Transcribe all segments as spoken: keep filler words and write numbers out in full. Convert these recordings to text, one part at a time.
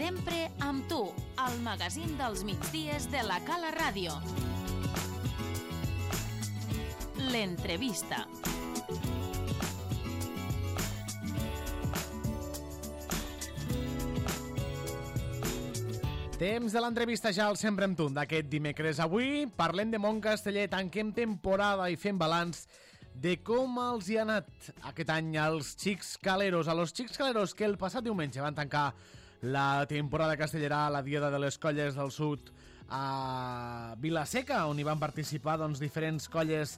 Sempre amb tu, al magazín dels migdies de la Cala Ràdio. L'entrevista. Temps de l'entrevista ja al Sempre amb tu d'aquest dimecres. Avui parlem de Montcasteller, tanquem temporada i fem balanç de com els hi ha anat aquest any als xics caleros. A los xics caleros que el passat diumenge van tancar la temporada castellera a la Diada de les Colles del Sud a Vila-seca, on hi van participar doncs, diferents colles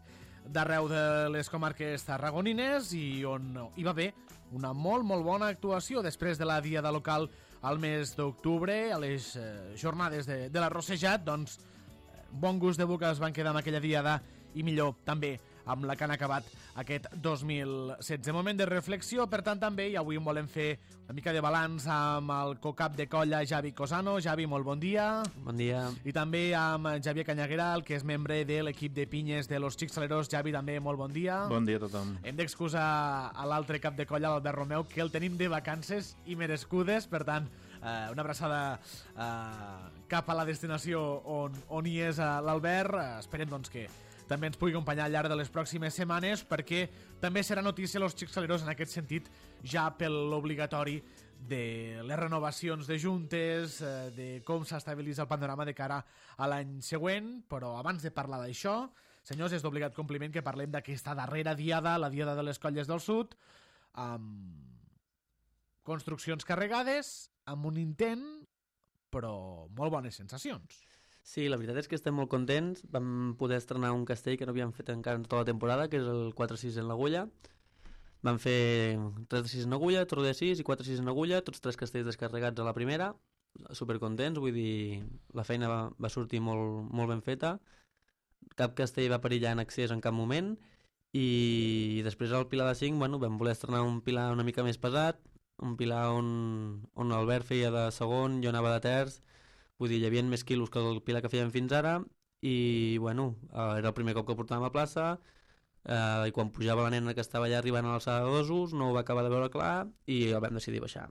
d'arreu de les comarques tarragonines i on hi va haver una molt, molt bona actuació després de la diada local al mes d'octubre, a les eh, jornades de, de l'arrossejat, doncs bon gust de boca es van quedar amb aquella diada i millor també amb la que han acabat aquest dos mil setze. Moment de reflexió, per tant, també, i avui en volem fer una mica de balanç amb el cocap de colla Javi Cosano. Javi, molt bon dia. Bon dia. I també amb Javier Cañagueral, que és membre de l'equip de pinyes de los Xics Saleros. Javi, també, molt bon dia. Bon dia a tothom. Hem d'excusar a l'altre cap de colla, l'Albert Romeu, que el tenim de vacances i merescudes, per tant, eh, una abraçada eh, cap a la destinació on, on hi és eh, l'Albert. Eh, esperem, doncs, que també ens pugui acompanyar al llarg de les pròximes setmanes, perquè també serà notícia los Xics Saleros en aquest sentit, ja per l'obligatori de les renovacions de juntes, eh, de com s'estabilitza el panorama de cara a l'any següent. Però abans de parlar d'això, senyors, és d'obligat compliment que parlem d'aquesta darrera diada, la Diada de les Colles del Sud, amb construccions carregades, amb un intent, però molt bones sensacions. Sí, la veritat és que estem molt contents. Vam poder estrenar un castell que no havíem fet encara en tota la temporada, que és el quatre sis en l'Agulla. Vam fer tres de sis en Agulla, Torre de sis i quatre sis en Agulla, tots tres castells descarregats a la primera. Supercontents, vull dir, la feina va, va sortir molt, molt ben feta. Cap castell va perillar en accés en cap moment. I després al Pilar de cinc, bueno, vam voler estrenar un pilar una mica més pesat, un pilar on, on l'Albert feia de segon, jo anava de terç. Vull dir, hi havia més quilos que el pilar que fèiem fins ara i, bueno, era el primer cop que portàvem a plaça eh, i quan pujava la nena que estava allà arribant a l'alçada de dosos no ho va acabar de veure clar i el vam decidir baixar.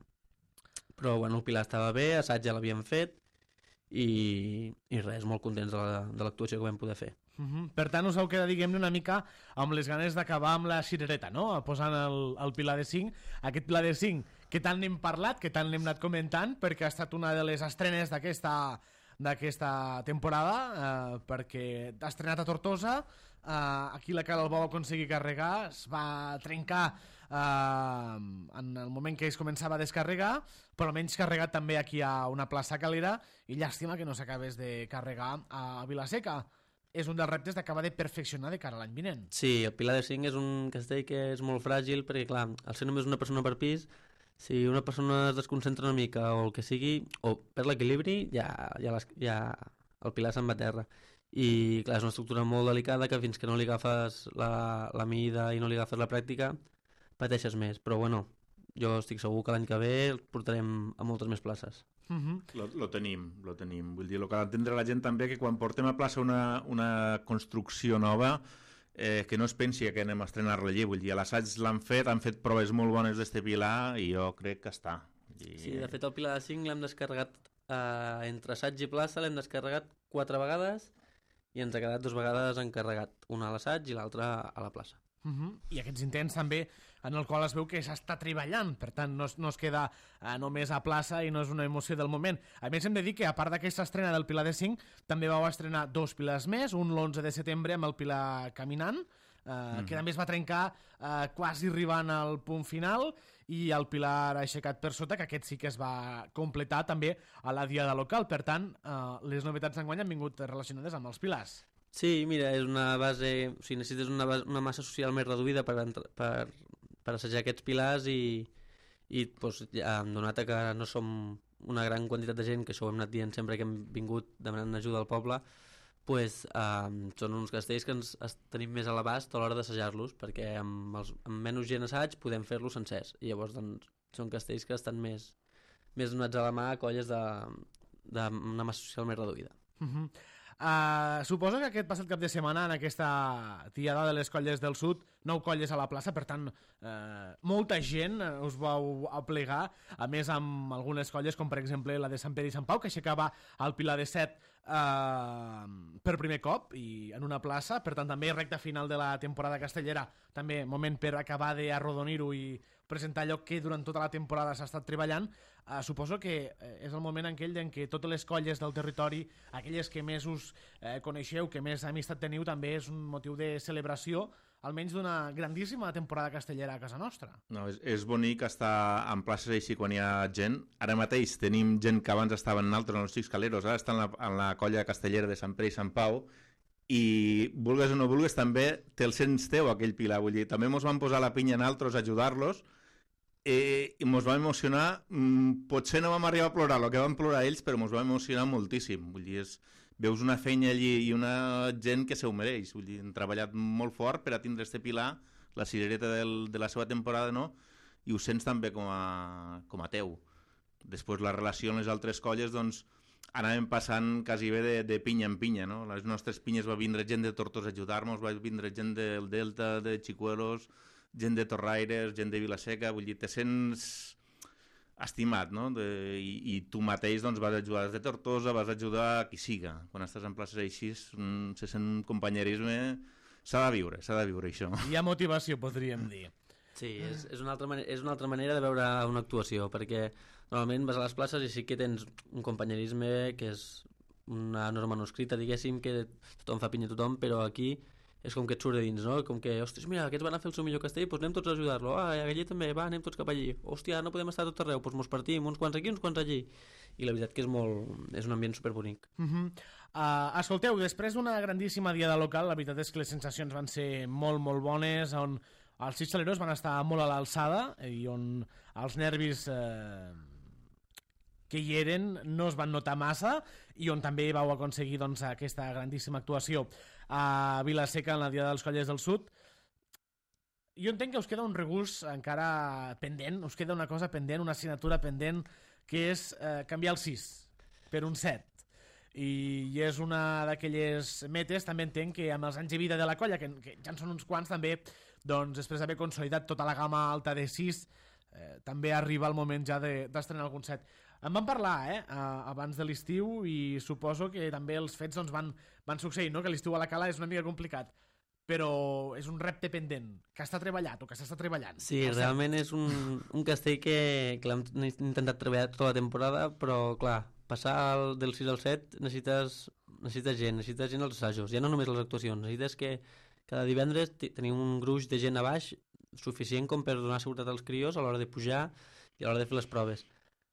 Però, bueno, el pilar estava bé, assaig ja l'havíem fet i, i res, molt contents de, la, de l'actuació que vam poder fer. Uh-huh. Per tant, us heu quedat, diguem-ne, una mica amb les ganes d'acabar amb la cirereta, no? Posant el, el pilar de cinc. Aquest pilar de cinc que tant n'hem parlat, que tant n'hem anat comentant, perquè ha estat una de les estrenes d'aquesta d'aquesta temporada, eh, perquè ha estrenat a Tortosa, eh, aquí la Cala el va aconseguir carregar, es va trencar eh, en el moment que es començava a descarregar, però almenys carregat també aquí a una plaça calera, i llàstima que no s'acabés de carregar a Vila-seca. És un dels reptes d'acabar de perfeccionar de cara a l'any vinent. Sí, el Pilar de cinc és un castell que és molt fràgil perquè, clar, al ser només una persona per pis, si una persona es desconcentra una mica o el que sigui, o perd l'equilibri, ja, ja, les, ja el pilar se'n va a terra. I, clar, és una estructura molt delicada que fins que no li agafes la, la mida i no li agafes la pràctica, pateixes més. Però, bueno, jo estic segur que l'any que ve el portarem a moltes més places. Uh-huh. Lo, lo tenim, lo tenim. Vull dir, el que ha d'entendre la gent també que quan portem a plaça una, una construcció nova, eh, que no es pensi que anem a estrenar-la allí. Vull dir, a l'assaig l'han fet, han fet proves molt bones d'este pilar i jo crec que està. I... Sí, de fet el pilar de cinc l'hem descarregat eh, entre assaig i plaça, l'hem descarregat quatre vegades i ens ha quedat dues vegades encarregat, una a l'assaig i l'altra a la plaça. Uh-huh. I aquests intents també en el qual es veu que s'està treballant, per tant no es, no es queda eh, només a plaça i no és una emoció del moment. A més hem de dir que a part d'aquesta estrena del Pilar de cinc també vau estrenar dos pilars més, un l'onze de setembre amb el Pilar Caminant, eh, uh-huh. que també es va trencar eh, quasi arribant al punt final, i el Pilar Aixecat per sota, que aquest sí que es va completar també a la diada local. Per tant, eh, les novetats d'enguany han vingut relacionades amb els pilars. Sí, mira, és una base... O sigui, necessites una, base, una massa social més reduïda per, per, per assajar aquests pilars i, i doncs, ja hem donat que no som una gran quantitat de gent, que això ho hem anat dient sempre que hem vingut demanant ajuda al poble, pues, eh, són uns castells que ens tenim més a l'abast a l'hora d'assajar-los, perquè amb, els, amb menys gent assaig podem fer-los sencers. I llavors doncs, són castells que estan més, més donats a la mà a colles d'una massa social més reduïda. Uh-huh. Uh, suposo que aquest passat cap de setmana, en aquesta tiada de les colles del sud, nou colles a la plaça, per tant, uh, molta gent us vau aplegar, a més amb algunes colles, com per exemple la de Sant Pere i Sant Pau, que aixecava el Pilar de Set uh, per primer cop i en una plaça, per tant també recta final de la temporada castellera, també moment per acabar d'arrodonir-ho i presentar allò que durant tota la temporada s'ha estat treballant. Uh, suposo que és el moment aquell en què totes les colles del territori, aquelles que més us eh, coneixeu, que més amistat teniu, també és un motiu de celebració, almenys d'una grandíssima temporada castellera a casa nostra. No, és, és bonic estar en places així quan hi ha gent. Ara mateix tenim gent que abans estaven en altres, en els Xics Caleros, ara estan en la, en la colla castellera de Sant Pere i Sant Pau, i vulgues o no vulgues també te'l sents teu aquell Pilar, vull dir, també mos van posar la pinya en altres a ajudar-los, Eh, i mos va emocionar, mm, potser no vam arribar a plorar el que van plorar ells, però mos va emocionar moltíssim. Vull dir, és, veus una feina allí i una gent que se ho mereix. Vull dir, han treballat molt fort per a tindre este Pilar, la cirereta del, de la seva temporada, no? I ho sents també com a, com a teu. Després la relació amb les altres colles, doncs, anàvem passant quasi bé de, de pinya en pinya, no? Les nostres pinyes va vindre gent de Tortosa a ajudar-nos, va vindre gent del Delta, de Xicuelos, gent de Torraires, gent de Vilaseca, vull dir, te sents estimat, no? De, i, I tu mateix doncs, vas ajudar de Tortosa, vas ajudar a qui siga. Quan estàs en places així, se sent un companyerisme... S'ha de viure, s'ha de viure això. Hi ha motivació, podríem dir. Sí, és, és, una altra manera, és una altra manera de veure una actuació, perquè normalment vas a les places i sí que tens un companyerisme que és una norma no escrita, diguéssim, que tothom fa pinya a tothom, però aquí és com que et surt de dins, no? Com que, ostres, mira, aquests van a fer el seu millor castell, doncs anem tots a ajudar-lo. Ah, aquell també, va, anem tots cap allí. Hòstia, no podem estar a tot arreu, doncs mos partim, uns quants aquí, uns quants allí. I la veritat que és molt... és un ambient superbonic. Uh -huh. uh, escolteu, després d'una grandíssima diada local, la veritat és que les sensacions van ser molt, molt bones, on els Xics Caleros van estar molt a l'alçada i on els nervis... Eh... que hi eren no es van notar massa i on també vau aconseguir doncs, aquesta grandíssima actuació a Vilaseca en la Diada dels Colles del Sud. Jo entenc que us queda un regús encara pendent, us queda una cosa pendent, una assignatura pendent, que és eh, canviar el sis per un set. I, i és una d'aquelles metes, també entenc que amb els anys de vida de la colla, que, que ja en són uns quants també, doncs després d'haver consolidat tota la gamma alta de sis, eh, també arriba el moment ja d'estrenar de, algun set. En van parlar, eh, abans de l'estiu i suposo que també els fets doncs, van, van succeir, no? Que l'estiu a la Cala és una mica complicat, però és un repte pendent, que està treballat o que s'està treballant. Sí, realment és un, un castell que, que l'hem intentat treballar tota la temporada, però clar, passar el, del sis al set necessites, necessites gent, necessites gent als assajos, ja no només les actuacions, necessites que cada divendres tenim un gruix de gent a baix suficient com per donar seguretat als crios a l'hora de pujar i a l'hora de fer les proves.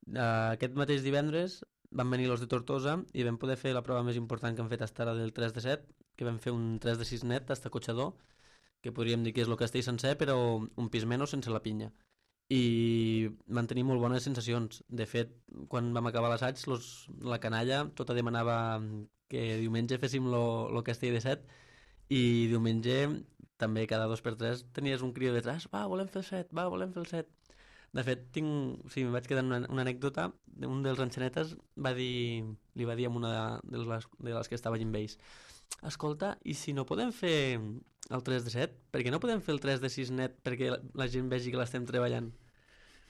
Uh, aquest mateix divendres van venir los de Tortosa i vam poder fer la prova més important que hem fet fins ara del tres de set, que vam fer un tres de sis net hasta Cotxador, que podríem dir que és el castell sencer però un pis menys sense la pinya, i van tenir molt bones sensacions. De fet, quan vam acabar l'assaig, la canalla tota demanava que diumenge féssim el castell de set, i diumenge també cada dos per tres tenies un crio detrás, va, volem fer el set, va, volem fer el set. De fet, tinc, sí, em vaig quedar una, una anècdota. Un dels enxanetes va dir, li va dir a una de les, de les que estava allà amb ells, escolta, i si no podem fer el tres de set, per què no podem fer el tres de sis net perquè la, la gent vegi que l'estem treballant?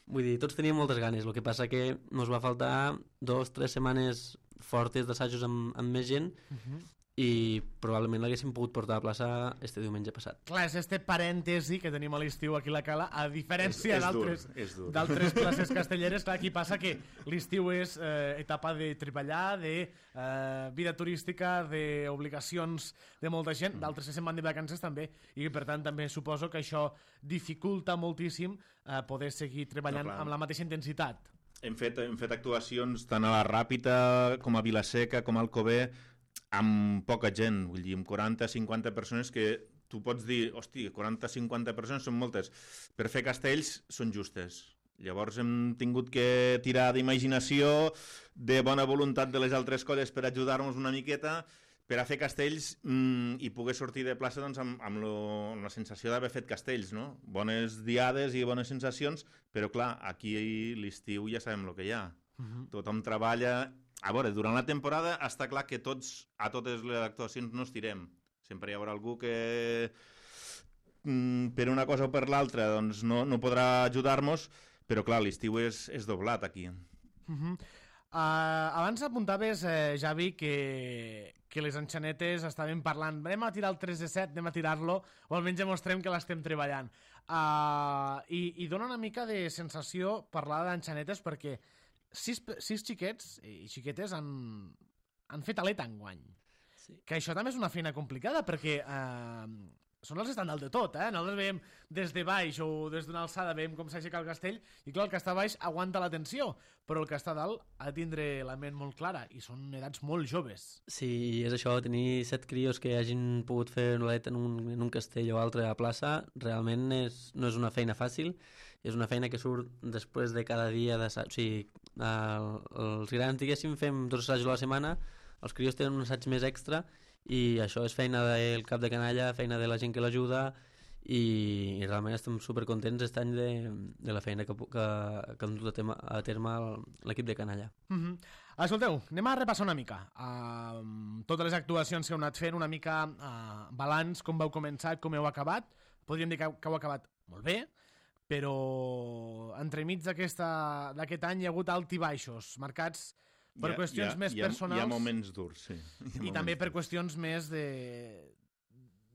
Vull dir, tots teníem moltes ganes, el que passa que ens va faltar dos, tres setmanes fortes d'assajos amb, amb més gent, uh-huh. i probablement l'haguéssim pogut portar a plaça este diumenge passat. Clar, és este parèntesi que tenim a l'estiu aquí a la Cala, a diferència d'altres places castelleres. Clar, aquí passa que l'estiu és eh, etapa de treballar, de eh, vida turística, d'obligacions de molta gent, mm. d'altres que se'n van de vacances també, i per tant també suposo que això dificulta moltíssim eh, poder seguir treballant no, amb la mateixa intensitat. Hem fet, hem fet actuacions tant a la Ràpita com a Vilaseca com a Alcover, amb poca gent, vull dir, amb quaranta a cinquanta persones que tu pots dir, hosti, quaranta a cinquanta persones són moltes. Per fer castells són justes. Llavors hem tingut que tirar d'imaginació, de bona voluntat de les altres colles per ajudar-nos una miqueta, per a fer castells mmm, i poder sortir de plaça doncs, amb, amb, lo, amb la sensació d'haver fet castells, no? Bones diades i bones sensacions, però clar, aquí l'estiu ja sabem el que hi ha. Uh-huh. Tothom treballa... a veure, durant la temporada està clar que tots, a totes les actuacions no estirem. Sempre hi haurà algú que mm, per una cosa o per l'altra doncs no, no podrà ajudar-nos, però clar, l'estiu és, és doblat aquí. Uh-huh. Uh, abans apuntaves, eh, Javi, que, que les enxanetes estaven parlant, anem a tirar el tres de set, anem a tirar-lo, o almenys demostrem que l'estem treballant. Uh, i, I dona una mica de sensació parlar d'enxanetes perquè sis, sis xiquets i xiquetes han, han fet aleta enguany. Sí. Que això també és una feina complicada perquè uh, són els estàndard de tot, eh? Nosaltres veiem des de baix o des d'una alçada veiem com s'aixeca el castell i clar, el que està baix aguanta la tensió, però el que està dalt ha de tindre la ment molt clara i són edats molt joves. Sí, és això, tenir set crios que hagin pogut fer una aleta en un, en un castell o altre a plaça, realment és, no és una feina fàcil, és una feina que surt després de cada dia de... O sigui, el, els grans, diguéssim, fem dos assajos a la setmana, els crios tenen un assaig més extra i això és feina del cap de canalla, feina de la gent que l'ajuda i, i realment estem supercontents aquest any de, de la feina que, que, que hem dut a, tema, a terme l'equip de canalla. Mm-hmm. Escolteu, anem a repassar una mica uh, totes les actuacions que heu anat fent, una mica uh, balanç, com vau començar, com heu acabat. Podríem dir que, que heu acabat molt bé, però entremig d'aquest any hi ha hagut alt i baixos, marcats per ha, qüestions ha, més ha, personals. Hi ha moments durs, sí. I també per qüestions més de,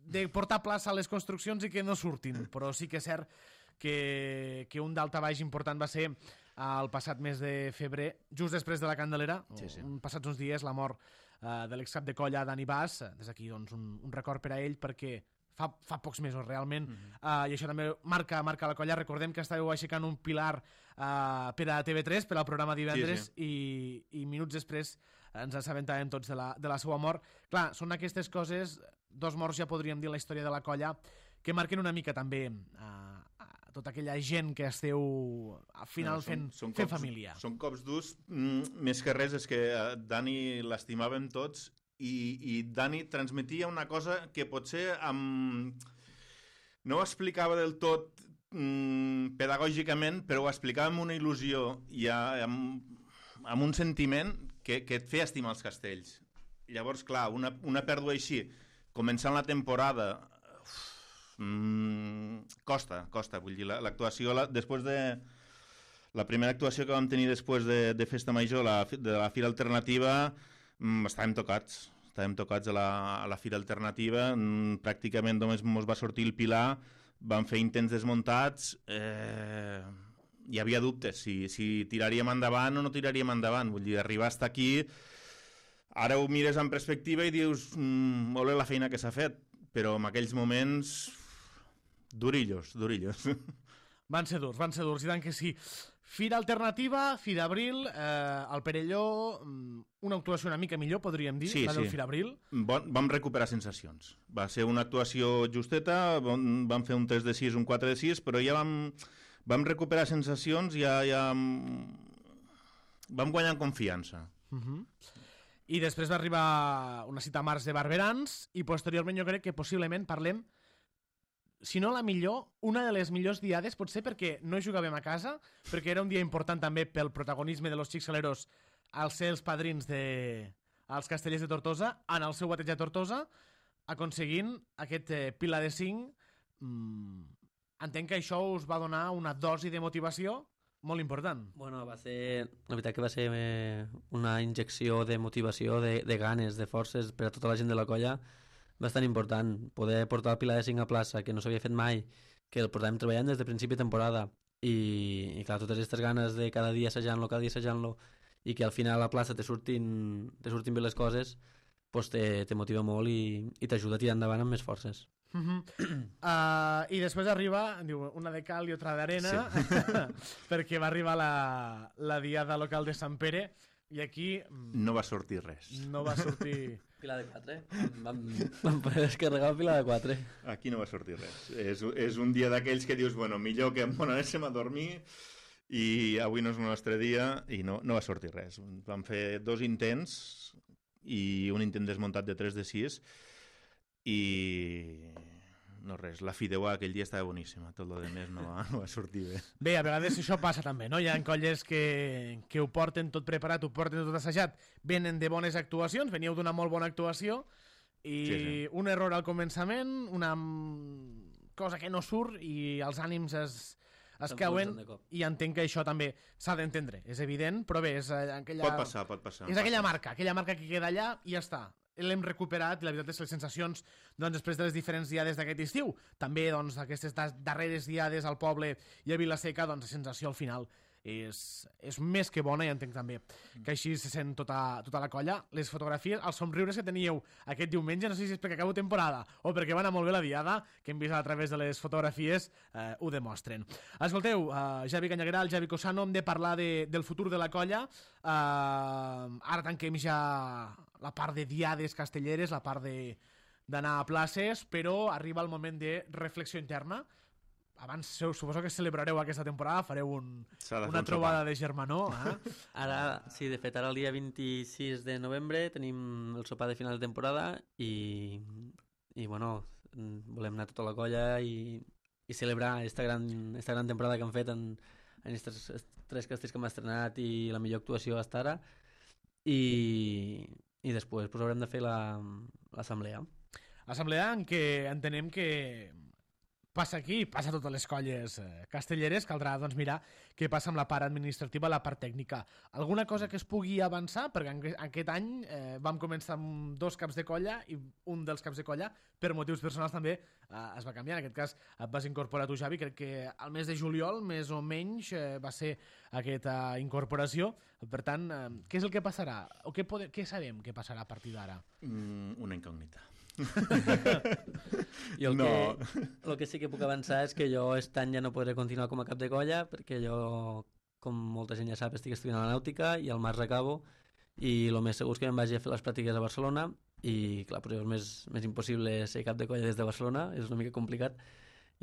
de portar plaça a les construccions i que no surtin. Però sí que és cert que, que un d'alta baix important va ser el passat mes de febrer, just després de la Candelera, sí, sí. Un, passats uns dies, la mort uh, de l'excap de colla Dani Bas. Des d'aquí doncs, un, un record per a ell perquè fa, fa pocs mesos realment, mm-hmm. uh, i això també marca, marca la colla. Recordem que estàveu aixecant un pilar uh, per a T V tres, per al programa divendres, sí, sí. I, i minuts després ens assabentàvem tots de la, de la seva mort. Clar, són aquestes coses, dos morts ja podríem dir la història de la colla, que marquen una mica també uh, tota aquella gent que esteu al final no, són, fent, són fent cops, família. Són cops durs, mm, més que res és que uh, Dani l'estimàvem tots i, i Dani transmetia una cosa que potser amb... no ho explicava del tot mm, pedagògicament, però ho explicava amb una il·lusió i a, amb, amb un sentiment que, que et feia estimar els castells. Llavors, clar, una, una pèrdua així, començant la temporada... Mm, costa, costa, vull dir, l'actuació, la, després de la primera actuació que vam tenir després de, de Festa Major, la, de la Fira Alternativa, mm, estàvem tocats, estàvem tocats a la, a la Fira Alternativa, mm, pràcticament només ens va sortir el pilar, vam fer intents desmuntats, eh, hi havia dubtes, si, si tiraríem endavant o no tiraríem endavant, vull dir, arribar fins aquí, ara ho mires en perspectiva i dius, mm, molt bé la feina que s'ha fet, però en aquells moments... durillos, durillos. Van ser durs, van ser durs, i tant que sí. Fira Alternativa, Fira Abril, eh, al Perelló, una actuació una mica millor, podríem dir, sí, la del sí. Fira Abril. Bon, vam recuperar sensacions. Va ser una actuació justeta, vam, vam fer un tres de sis, un quatre de sis, però ja vam, vam recuperar sensacions, ja, ja vam guanyar confiança. Uh-huh. I després va arribar una cita a març de Barberans, i posteriorment jo crec que possiblement parlem, si no la millor, una de les millors diades, potser perquè no jugàvem a casa, perquè era un dia important també pel protagonisme de los Xics Caleros al ser els padrins de... als Castellers de Tortosa, en el seu bateig a Tortosa, aconseguint aquest eh, pilar de cinc. Mm, entenc que això us va donar una dosi de motivació molt important. Bueno, va ser... La veritat que va ser eh, una injecció de motivació, de, de ganes, de forces per a tota la gent de la colla, bastant important. Poder portar el pilar de cinc a plaça, que no s'havia fet mai, que el portàvem treballant des de principi de temporada, i, i clar, totes aquestes ganes de cada dia assajant-lo, cada dia assajant-lo, i que al final a la plaça te surtin, te surtin bé les coses, pues te, te motiva molt i, i t'ajuda a tirar endavant amb més forces. Uh-huh. uh, I després arriba, diu, una de cal i otra d'arena, sí. perquè va arribar la, la diada local de Sant Pere, i aquí... no va sortir res. No va sortir... Pilar de quatre. Vam, vam poder descarregar el pilar de quatre. Aquí no va sortir res. És, és un dia d'aquells que dius, bueno, millor que bon, anéssim a dormir i avui no és el nostre dia, i no, no va sortir res. Vam fer dos intents i un intent desmuntat de tres de sis i no res. La fideuà aquell dia estava boníssima, tot el demés no va, no va sortir bé. Bé, a vegades això passa també, no? Hi ha colles que, que ho porten tot preparat, ho porten tot assajat, venen de bones actuacions, veníeu d'una molt bona actuació, i sí, sí. un error al començament, una cosa que no surt, i els ànims es... es cauen, i entenc que això també s'ha d'entendre, és evident, però bé, és aquella... Pot passar, pot passar. És aquella marca, aquella marca que queda allà i ja està. L'hem recuperat, i la veritat és que les sensacions doncs, després de les diferents diades d'aquest estiu, també doncs, aquestes darreres diades al poble i a Vila-seca, doncs, la sensació al final és, és més que bona, i entenc també que així se sent tota, tota la colla. Les fotografies, els somriures que teníeu aquest diumenge, no sé si és perquè acabo temporada o perquè va anar molt bé la diada, que hem vist a través de les fotografies, eh, ho demostren. Escolteu, eh, Javi Canyagueral, Javi Cosano, hem de parlar de, del futur de la colla. Eh, ara tanquem ja la part de diades castelleres, la part d'anar a places, però arriba el moment de reflexió interna. Abans suposo que celebrareu aquesta temporada, fareu un, una trobada de germanor. Eh? Ara, sí, de fet, ara el dia vint-i-sis de novembre tenim el sopar de final de temporada i, i bueno, volem anar tota la colla i, i celebrar esta gran, esta gran temporada que han fet en, en estos tres castells que hem estrenat i la millor actuació fins ara, i, i després pues, haurem de fer l'assemblea. Assemblea en què entenem que passa aquí, passa a totes les colles eh, castelleres, caldrà doncs, mirar què passa amb la part administrativa, la part tècnica. Alguna cosa que es pugui avançar? Perquè en, aquest any eh, vam començar amb dos caps de colla i un dels caps de colla, per motius personals també, eh, es va canviar. En aquest cas et vas incorporar tu, Javi, crec que al mes de juliol, més o menys, eh, va ser aquesta incorporació. Per tant, eh, què és el que passarà? O què, pode... què sabem que passarà a partir d'ara? Mm, una incògnita. I el, no. que, el que sí que puc avançar és que jo aquest any ja no podré continuar com a cap de colla, perquè jo, com molta gent ja sap, estic estudiant a la nàutica i al març acabo, i el més segur és que em vagi a fer les pràctiques a Barcelona, i clar, però és més, més impossible ser cap de colla des de Barcelona, és una mica complicat.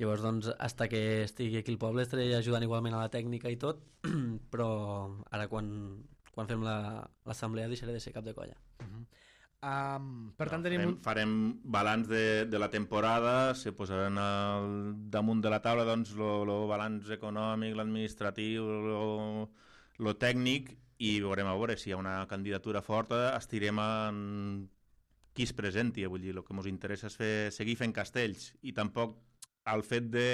Llavors, doncs, hasta que estigui aquí al poble estaré ajudant igualment a la tècnica i tot, però ara quan, quan fem l'assemblea la, deixaré de ser cap de colla. Uh-huh. Um, per tant, no, tenim... farem, farem balanç de, de la temporada, se posaran al damunt de la taula doncs, el balanç econòmic, l'administratiu, el tècnic, i veurem a veure si hi ha una candidatura forta, estirem en qui es presenti. Vull dir, el que ens interessa és fer, seguir fent castells, i tampoc el fet de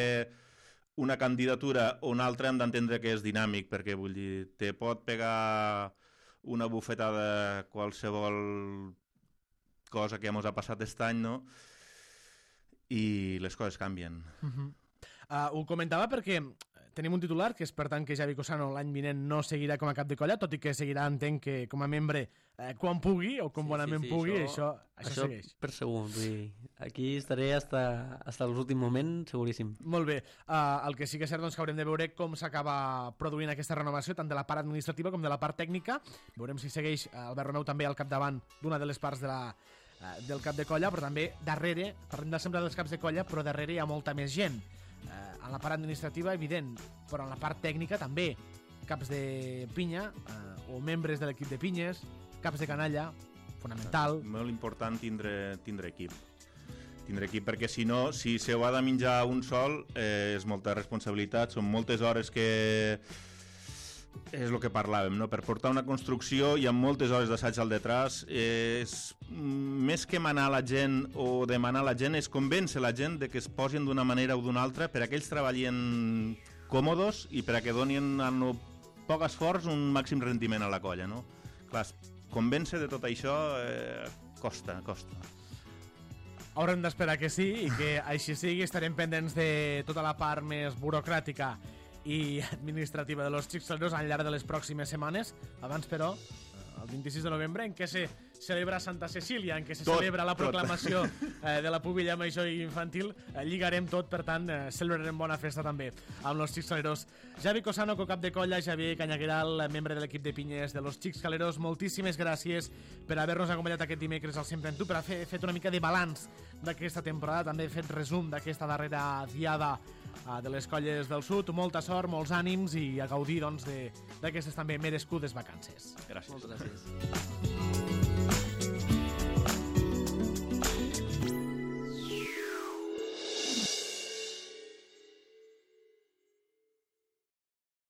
una candidatura o una altra hem d'entendre que és dinàmic, perquè vull dir, te pot pegar una bufetada qualsevol cosa que ens ha passat aquest any, no? I les coses canvien. Uh-huh. uh, ho comentava perquè tenim un titular, que és per tant que Javi Cosano l'any vinent no seguirà com a cap de colla, tot i que seguirà, entenc, que com a membre eh, quan pugui, o com sí, bonament sí, sí, pugui, això, això, això, això segueix. Per segur, vull dir, aquí estaré hasta, hasta l'últim moment, seguríssim. Molt bé. Uh, el que sí que és cert doncs, que haurem de veure com s'acaba produint aquesta renovació, tant de la part administrativa com de la part tècnica. Veurem si segueix uh, Albert Romeu també al capdavant d'una de les parts de la, uh, del cap de colla, però també darrere, parlem de sempre dels caps de colla, però darrere hi ha molta més gent. Uh, en la part administrativa, evident, però en la part tècnica també. Caps de pinya, uh, o membres de l'equip de pinyes, caps de canalla, fonamental. Molt important tindre, tindre equip. Tindre equip, perquè si no, si se ho ha de menjar un sol, eh, és molta responsabilitat, són moltes hores que... És el que parlàvem, no? Per portar una construcció hi ha moltes hores d'assaig al detrás. És... Més que manar la gent o demanar a la gent, és convèncer la gent de que es posin d'una manera o d'una altra per a que ells treballin còmodes i per a que donin amb poc esforç un màxim rendiment a la colla, no? Clar, convèncer de tot això eh, costa, costa. Haurem d'esperar que sí i que així sigui. Estarem pendents de tota la part més burocràtica i administrativa de los Xics Caleros al llarg de les pròximes setmanes. Abans, però, el vint-i-sis de novembre, en què se celebra Santa Cecília, en què se tot, celebra la proclamació eh, de la pubilla major i infantil, eh, lligarem tot, per tant, eh, celebrarem bona festa també amb los Xics Caleros. Javi Cosano, co-cap de colla, Javier Canyagueral, membre de l'equip de pinyes de los Xics Caleros, moltíssimes gràcies per haver-nos acompanyat aquest dimecres al Sempre en Tu, per haver fet una mica de balanç d'aquesta temporada, també fet resum d'aquesta darrera diada uh, de les colles del sud. Molta sort, molts ànims i a gaudir doncs, d'aquestes també merescudes vacances. Gràcies. Moltes gràcies.